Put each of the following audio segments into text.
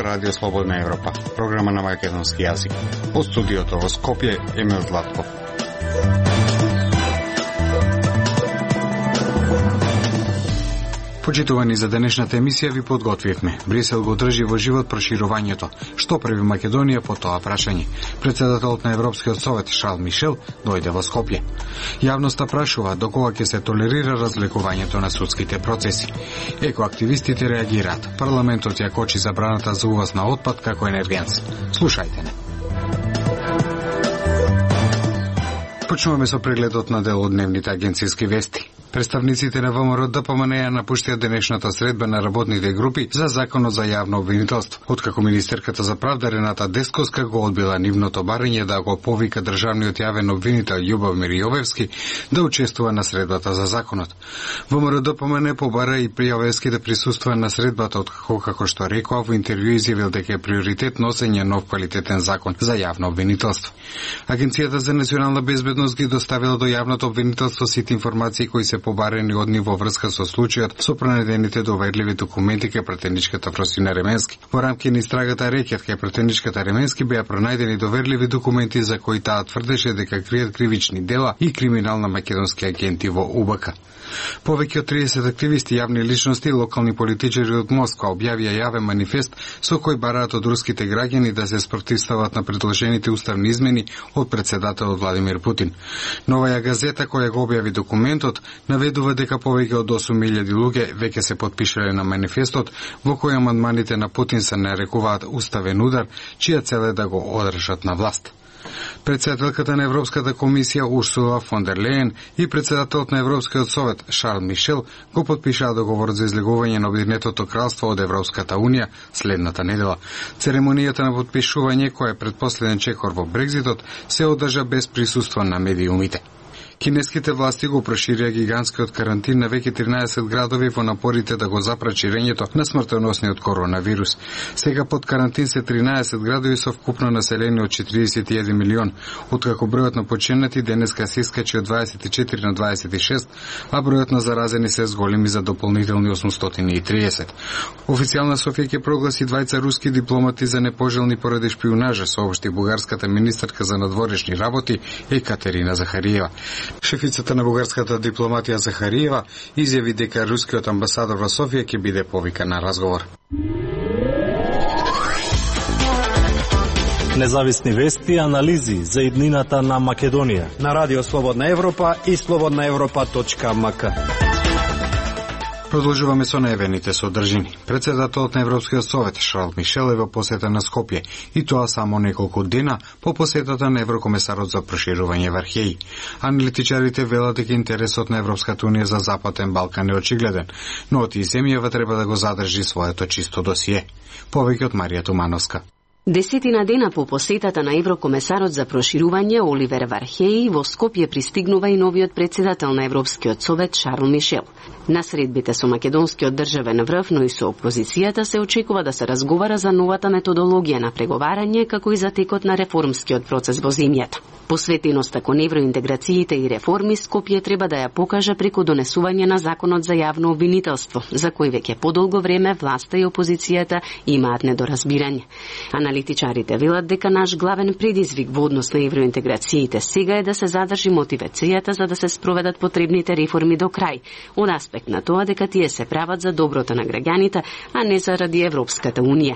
Радио Слободна Европа, програма на македонски јазик. Од студиото во Скопје, Емил Златков. Почитувани, за денешната емисија ви подготвивме. Брисел го држи во живот проширувањето. Што прави Македонија по тоа прашање? Председателот на Европскиот совет Шарл Мишел дојде во Скопје. Јавноста прашува докога ќе се толерира разлекувањето на судските процеси. Екоактивистите реагираат. Парламентот ја кочи забраната за увоз на отпад како енергенс. Слушајте не. Почнуваме со прегледот на дел од дневните агенцијски вести. Представниците на ВМРО ДПМН напуштија денешната средба на работните групи за законот за јавно обвинителство, откако министерката за правда Рената Десковска го одбила нивното барање да го повика државниот јавен обвинител Љубомир Јовевски да учествува на средбата за законот. ВМРО ДПМН побара и Јовевски да присуствува на средбата, откако, како што рекоа во интервју, изјавил дека е приоритет носење нов квалитетен закон за јавно обвинителство. Агенцијата за национална безбедност ги доставила до јавното обвинителство сите информации кои се побарени од нив во врска со случајот со пронедените доверливи документи кај пратеничката Фросина Ременски. Во рамки на истрагата Рекет кај пратеничката Ременски беа пронајдени доверливи документи за кои таа тврдеше дека кријат кривични дела и криминал на македонски агенти во УБК. Повеќе од 30 активисти, јавни личности и локални политичари од Москва објавија јавен манифест со кој бараат од руските граѓани да се спротивстават на предложените уставни измени од председателот Владимир Путин. Новаја газета која го објави документот наведува дека повеќе од 8.000 луѓе веќе се потпишале на манифестот, во кој амандманите на Путин се нарекуваат уставен удар, чија цел е да го одржат на власт. Председателката на Европската комисија Урсула фон дер Лејен и председателот на Европскиот совет Шарл Мишел го потпишаа договорот за излегување на Обединетото кралство од Европската унија следната недела. Церемонијата на потпишување, која е предпоследен чекор во Брекзитот, се одржа без присуство на медиумите. Кинеските власти го проширија гигантскиот карантин на веќе 13 градови во напорите да го запрат ширењето на смртоносниот коронавирус. Сега под карантин се 13 градови со вкупно население од 41 милион, откако бројот на починати денеска се искачи од 24 на 26, а бројот на заразени се зголеми за дополнителни 830. Официјална Софија ќе прогласи двајца руски дипломати за непожелни поради шпионажа, соопшти бугарската министерка за надворешни работи Екатерина Захариева. Шефицата на бугарската дипломатија Захариева изјави дека рускиот амбасадор во Софија ќе биде повикан на разговор. Независни вести и анализи за иднината на Македонија на Радио Слободна Европа и slobodnaevropa.mk. Продолжуваме со најавените содржини. Председателот на Европскиот совет Шарл Мишел е во посета на Скопје, и тоа само неколку дена по посетата на еврокомесарот за проширување Вархеј. Аналитичарите велат дека интересот на Европската унија за Западен Балкан е очигледен, но од земјава треба да го задржи своето чисто досие. Повеќе од Марија Тумановска. Десетина дена по посетата на еврокомесарот за проширување Оливер Вархеј во Скопје пристигнува и новиот председател на Европскиот совет Шарл Мишел. На средбите со македонскиот државен врв, но и со опозицијата се очекува да се разговара за новата методологија на преговарање, како и за текот на реформскиот процес во земјата. Посветеноста кон евроинтеграциите и реформи Скопје треба да ја покаже преку донесување на законот за јавно обвинителство, за кој веќе подолго време власта и опозицијата имаат недоразбирање. Аналитичарите велат дека наш главен предизвик во однос на евроинтеграциите сега е да се задржи мотивацијата за да се спроведат потребните реформи до крај, од аспект на тоа дека тие се прават за доброто на граѓаните, а не заради Европската унија.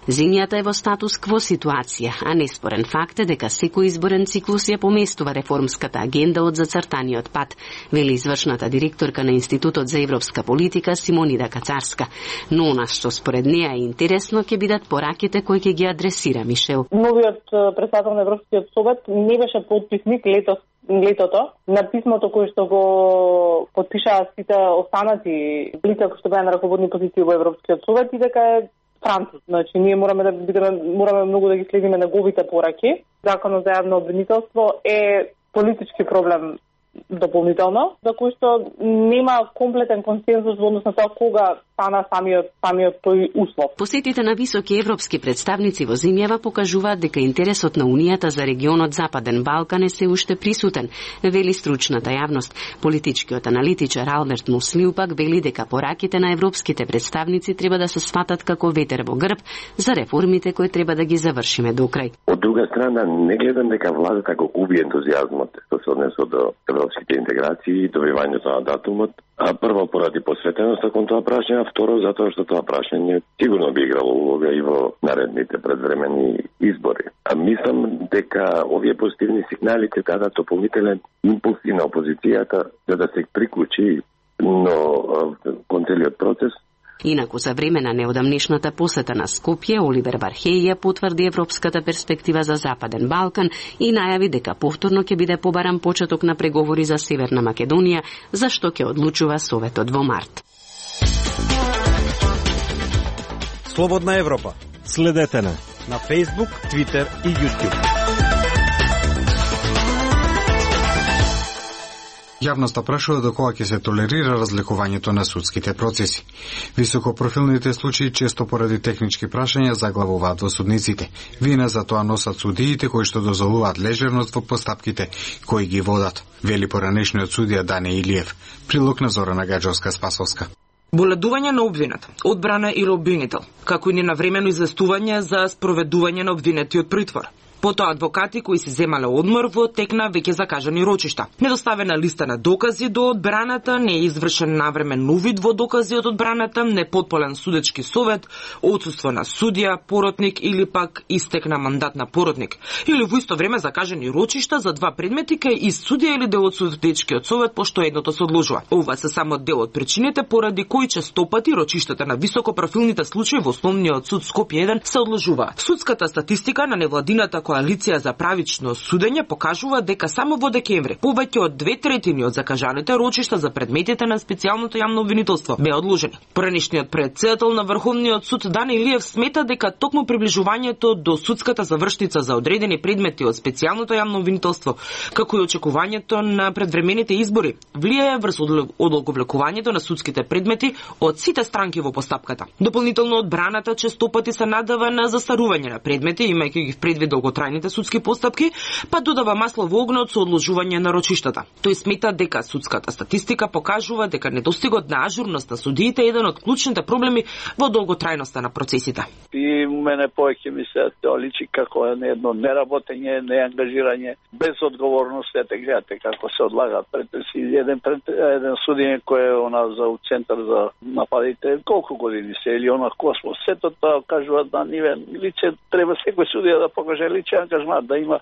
Земјата е во статус кво ситуација, а неспорен факт е дека секој изборен циклус ја поместува реформската агенда од зацртаниот пат, вели извршната директорка на Институтот за европска политика Симонида Кацарска. Но она што според неа е интересно ќе бидат пораките кои ќе ги адресира Мишел. Новиот председател на Европскиот совет не беше потписник летото на писмото кое што го потпишаа сите останати лица кои што беа на раководни позиции во Европскиот совет и дека е француз. Значи ние мораме многу да ги следиме неговите пораки. Законот за јавно обвинителство е политички проблем дополнително, за кој што нема комплетен консензус во однос на тоа кога стана самиот тој услов. Посетите на високи европски представници во земјава покажуваат дека интересот на Унијата за регионот Западен Балкан е се уште присутен, вели стручната јавност. Политичкиот аналитичар Алберт Муслиу пак вели дека пораките на европските представници треба да се сватат како ветер во грб за реформите кои треба да ги завршиме до крај. Од друга страна, не гледам дека владата го губи ентузијазмот што се однесува до европските интеграции и добивањето на датумот. А прво поради посветеноста кон тоа прашање, а второ затоа што тоа прашање сигурно би играло улога и во наредните предвремени избори. А мислам дека овие позитивни сигнали ќе дадат дополнителен импулс и на опозицијата за да се приклучи кон целиот процес. Инаку за време на неодамнешната посета на Скопје, Оливер Вархеј ја потврди европската перспектива за Западен Балкан и најави дека повторно ќе биде побаран почеток на преговори за Северна Македонија, за што ќе одлучува Советот во март. Слободна Европа. Следете на Facebook, Twitter и YouTube. Јавноста прашува до кога ќе се толерира разликувањето на судските процеси. Високопрофилните случаи често поради технички прашања заглавуваат во судниците. Вина за тоа носат судиите кои што дозволуваат лежерност во постапките кои ги водат, вели поранешниот судија Дане Илиев. Прилог на Зорана Гаджовска-Спасовска. Боледување на обвинет, одбрана или обвинител, како и ненавремено известување за спроведување на обвинетиот притвор. Потоа адвокати кои си земале одмор во тек на веќе закажани рочишта. Недоставена листа на докази до одбраната, не е извршен навремен увид во докази од одбраната, непотполен судечки совет, отсуство на судија, поротник или пак истек на мандат на поротник. Или во исто време закажани рочишта за два предмети кај и судија или дел од судечкиот совет, пошто едното се одложува. Ова се само дел од причините поради кои честопати рочиштата на високопрофилните случаи во Основниот суд Скопје 1 се одложуваат. Судската статистика на невладината коалиција за правично судење покажува дека само во декември повеќе од 2/3 од закажаните рочишта за предметите на специјалното јавно обвинителство беа одложени. Поранешниот председател на Врховниот суд Дане Илиев смета дека токму приближувањето до судската завршница за одредени предмети од специјалното јавно обвинителство, како и очекувањето на предвремените избори, влијае врз одолговлекувањето на судските предмети од сите странки во постапката. Дополнително одбраната честопати се надава на застарување на предмети, имајќи ги предвид долготрајните судски постапки, па додава масло во огнот со одложување на рочиштата. Тој смета дека судската статистика покажува дека недостигот на ажурност на судиите е еден од клучните проблеми во долготрајноста на процесите. И мене повеќе ми се тоа личи како едно неработење, неангажирање, без одговорност. Ете гледате како се одлагаат претреси. Еден судиње кој е за центар за нападите, колку години се или она Космос. Сето тоа кажува да ниве лице треба секој судија да покаже личен ангажмент, да има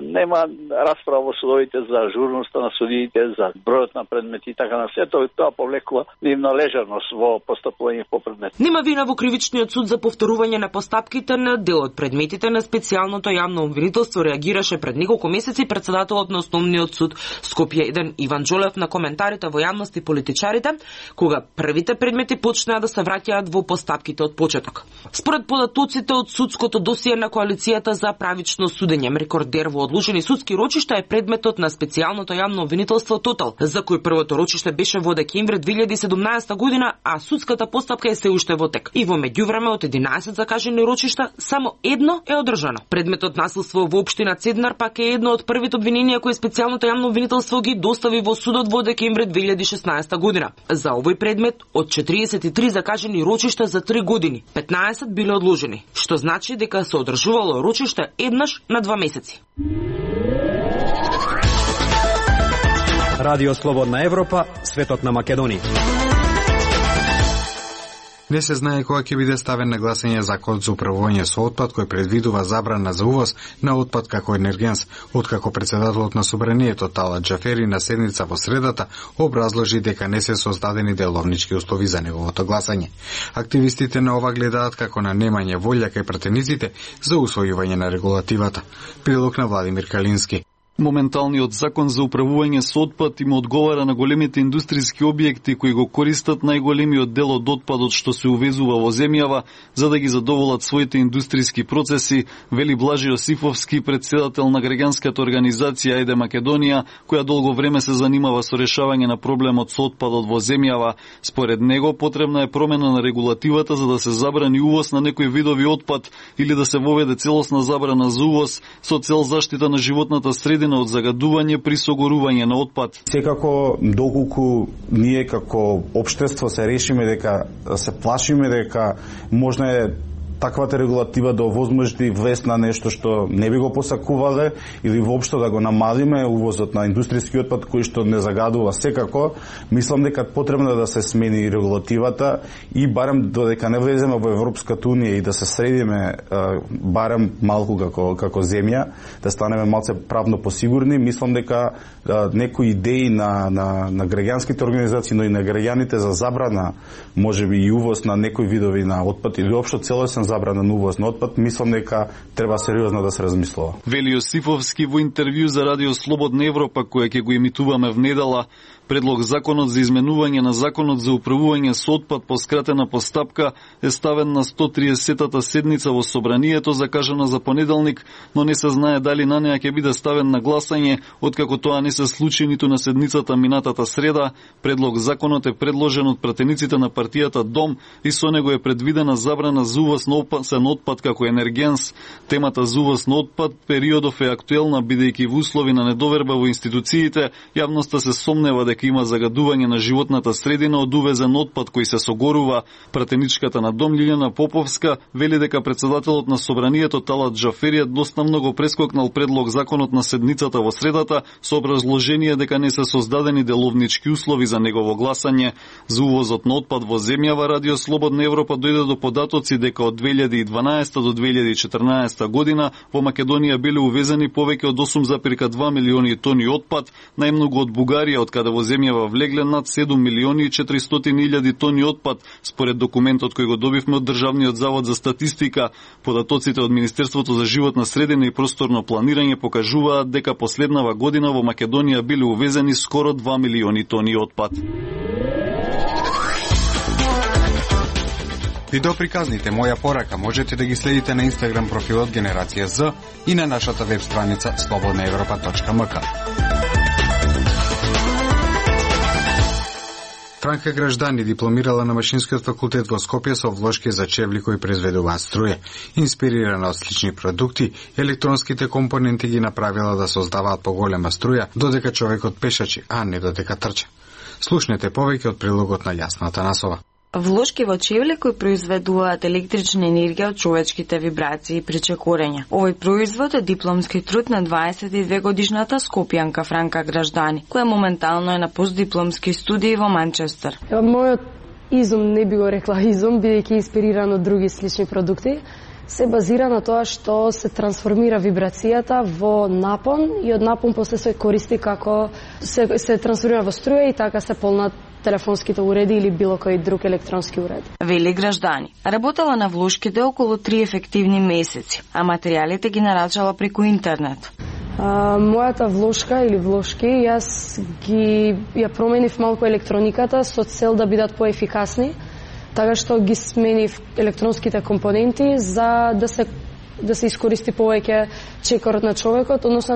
нема расправа во судовите за ажурноста на судиите, за бројот на предмети и така на сето, тоа повлекува нивна лежерност во постапување по предмет. Нема вина во кривичниот суд за повторување на постапките на дел од предметите на специјалното јавно обвинителство, реагираше пред неколку месеци председателот на Основниот суд Скопје 1 Иван Џолев на коментарите во јавност и политичарите, кога првите предмети почнаа да се враќаат во постапките од почеток. Според податоците од судското досие на коалицијата за правично судење, рекордер во одложени судски рочишта е предметот на специјалното јавно обвинителство Тотал, за кој првото рочиште беше во декември 2017 година, а судската постапка е се уште во тек. И во меѓувреме од 11 закажани рочишта, само едно е одржано. Предметот насилство во општина Цеднар пак е едно од првите обвиненија кои специјалното јавно обвинителство ги достави во судот во декември 2016 година. За овој предмет од 43 закажани рочишта за 3 години, 15 биле одложени, што значи дека се одржувало рочиште еднаш на 2 месеци. Радио Слободна Европа, светот на Македонија. Не се знае кога ќе биде ставен на гласање законот за управување со отпад кој предвидува забрана за увоз на отпад како енергенс, откако председателот на собранието Талат Џафери на седница во средата образложи дека не се создадени деловнички услови за неговото гласање. Активистите на ова гледаат како на немање волја кај пратениците за усвојување на регулативата. Прилог на Владимир Калински. Моменталниот закон за управување со отпад им одговара на големите индустријски објекти кои го користат најголемиот дел од отпадот што се увезува во земјава за да ги задоволат своите индустријски процеси, вели Блажи Јосифовски, председател на граѓанската организација Ајде Македонија, која долго време се занимава со решавање на проблемот со отпадот во земјава. Според него потребна е промена на регулативата за да се забрани увоз на некои видови отпад или да се воведе целосна забрана за увоз со цел заштита на животната средина од загадување при согорување на отпад. Секако, доколку ние како општество се решиме дека се плашиме дека можна е таквата регулатива да овозможи влез на нешто што не би го посакувале или воопшто да го намалиме увозот на индустријски отпад кој што не загадува секако, мислам дека потребно да се смени регулативата и барем додека не влеземе во Европската унија и да се средиме барем малку како земја, да станеме малце правно посигурни, мислам дека некои идеи на граѓанските организации, но и на граѓаните за забрана, можеби и увоз на некои видови на отпад или општо целосен забрана на увоз на отпад, мислам дека треба сериозно да се размислува. Вели Јосифовски во интервју за Радио Слободна Европа, која ќе го емитуваме внедела. Предлог законот за изменување на законот за управување со отпад по скратена постапка е ставен на 130-та седница во собранието, закажана за понеделник, но не се знае дали на неа ќе биде ставен на гласање, откако тоа не се случи ниту на седницата минатата среда. Предлог законот е предложен од пратениците на партијата Дом и со него е предвидена забрана за увоз на опасен отпад како енергенс. Темата за увоз на отпад периодов е актуелна, бидејќи во услови на недоверба во институциите, јавноста се сомнева дека има загадување на животната средина од увезен отпад кој се согорува. Пратеничката на Дом Лилјана Поповска вели дека председателот на собранието Талат Джафери едноставно го прескокнал предлог законот на седницата во средата со образложение дека не се создадени деловнички услови за негово гласање. За увозот на отпад во земјава Радио Слободна Европа дојде до податоци дека од 2012 до 2014 година во Македонија биле увезени повеќе од 8,2 милиони тони отпад, најмногу од Бугарија, од каде во земјава влегле над 7 милиони и 400 илјади тони отпад, според документот кој го добивме од Државниот завод за статистика. Податоците од Министерството за животна средина и просторно планирање покажуваат дека последнава година во Македонија биле увезени скоро 2 милиони тони отпад. Видеоприказните Моја порака можете да ги следите на Инстаграм профилот Генерација З и на нашата веб страница slobodnaevropa.mk. Франка Граждани дипломирала на Машинскиот факултет во Скопје со влошки за чевли кои произведуваат струја. Инспирирана од слични продукти, електронските компоненти ги направила да создаваат поголема струја, додека човекот пешачи, а не додека трча. Слушнете повеќе од прилогот на Јасна Атанасова. Влошки во чевли кои произведуваат електрична енергија од човечките вибрации и причекорења. Овој производ е дипломски труд на 22 годишната скопјанка Франка Граждани, која моментално е на постдипломски студии во Манчестер. Мојот изум, не би го рекла изум, бидејќи инспириран од други слични продукти, се базира на тоа што се трансформира вибрацијата во напон и од напон после се користи како се трансформира во струја и така се полнат телефонските уреди или било кој друг електронски уред. Вели Граждани. Работела на влошките околу 3 ефективни месеци, а материјалите ги нарачала преку интернет. Мојата влошка или влошки, јас ја променив малку електрониката со цел да бидат поефикасни, така што ги сменив електронските компоненти за да се искористи повеќе чекорот на човекот, односно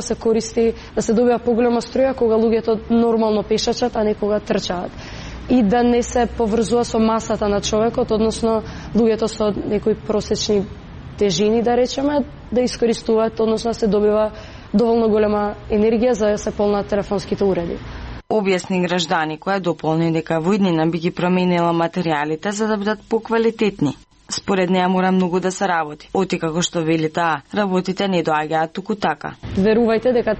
да се добива поголема струја кога луѓето нормално пешачат, а не кога трчаат. И да не се поврзува со масата на човекот, односно луѓето со некои просечни тежини, да речеме, да искористуваат, односно се добива доволно голема енергија за да се полнат телефонските уреди. Објасни Граждани, која дополни дека во иднина би ги променила материјалите за да бидат поквалитетни. Според неа мора многу да се работи. Оти како што вели таа, работите не доаѓаат туку така. Верувајте дека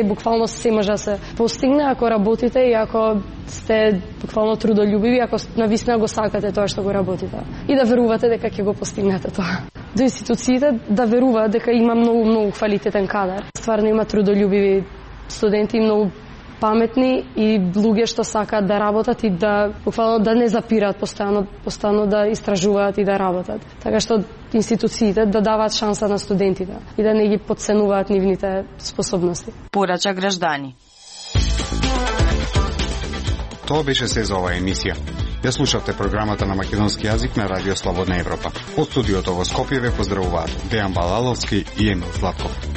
буквално се може да се постигне ако работите и ако сте буквално трудолюбиви, ако навистина го сакате тоа што го работите. И да верувате дека ќе го постигнете тоа. До институциите да веруваат дека има многу квалитетен кадар. Стварно има трудолюбиви студенти и многу паметни и луѓе што сакаат да работат и да буквално да не запираат, постојано да истражуваат и да работат. Така што институциите да даваат шанса на студентите и да не ги потценуваат нивните способности. Порача граждани. Тоа беше се за оваа емисија. Ја слушавте програмата на македонски јазик на Радио Слободна Европа. Од студиото во Скопје ве поздравуваат Дејан Балаловски и Емил Златков.